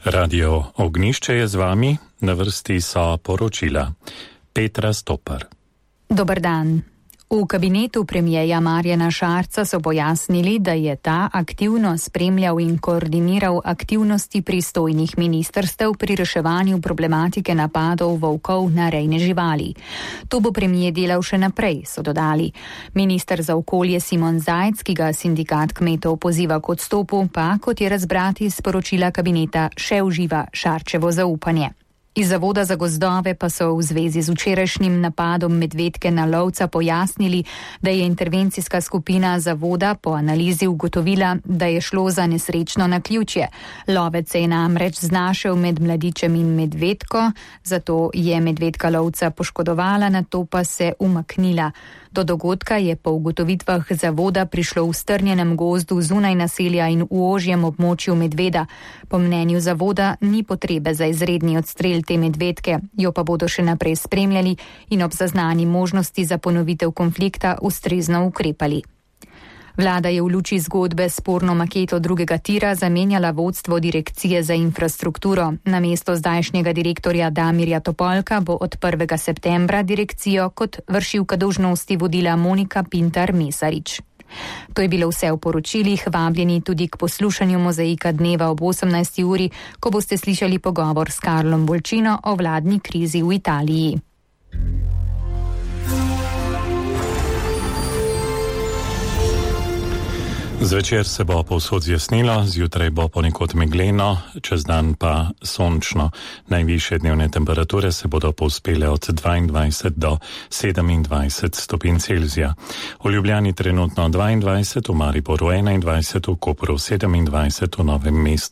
Radio Ognišče je z vami, na vrsti so poročila. Petra Stopar. Dober dan. V kabinetu premijeja Marjana Šarca so pojasnili, da je ta aktivno spremljal in koordiniral aktivnosti pristojnih ministrstev pri reševanju problematike napadov volkov na rejne živali. To bo premijer delal še naprej, so dodali. Minister za okolje Simon Zajc, ki ga sindikat kmetov poziva k odstopu, pa, kot je razbrati iz poročila kabineta, še uživa Šarčevo zaupanje. Iz Zavoda za gozdove pa so v zvezi z včerajšnjim napadom medvedke na lovca pojasnili, da je intervencijska skupina zavoda po analizi ugotovila, da je šlo za nesrečno naključje. Lovec se je namreč znašel med mladičem in medvedko, zato je medvedka lovca poškodovala, nato pa se umaknila. Do dogodka je po ugotovitvah zavoda prišlo v strnjenem gozdu zunaj naselja in v ožjem območju medveda. Po mnenju zavoda ni potrebe za izredni odstrel te medvedke, jo pa bodo še naprej spremljali in ob zaznani možnosti za ponovitev konflikta ustrezno ukrepali. Vlada je v luči zgodbe s sporno maketo drugega tira zamenjala vodstvo Direkcije za infrastrukturo. Namesto zdajšnjega direktorja Damirja Topolka bo od 1. septembra direkcijo kot vršilka dolžnosti vodila Monika Pintar-Mesarič. To je bilo vse v poročilih, vabljeni tudi k poslušanju Mozaika dneva ob 18. uri, ko boste slišali pogovor s Karlom Bolčino o vladni krizi v Italiji. Zvečer se bo povsod zjasnilo, zjutraj bo ponekod megleno, čez dan pa sončno. Najvišje dnevne temperature se bodo povzpele od 22 do 27 stopinj Celzija. V Ljubljani trenutno 22, v Mariboru 21, v Kopru 27, v Novem mestu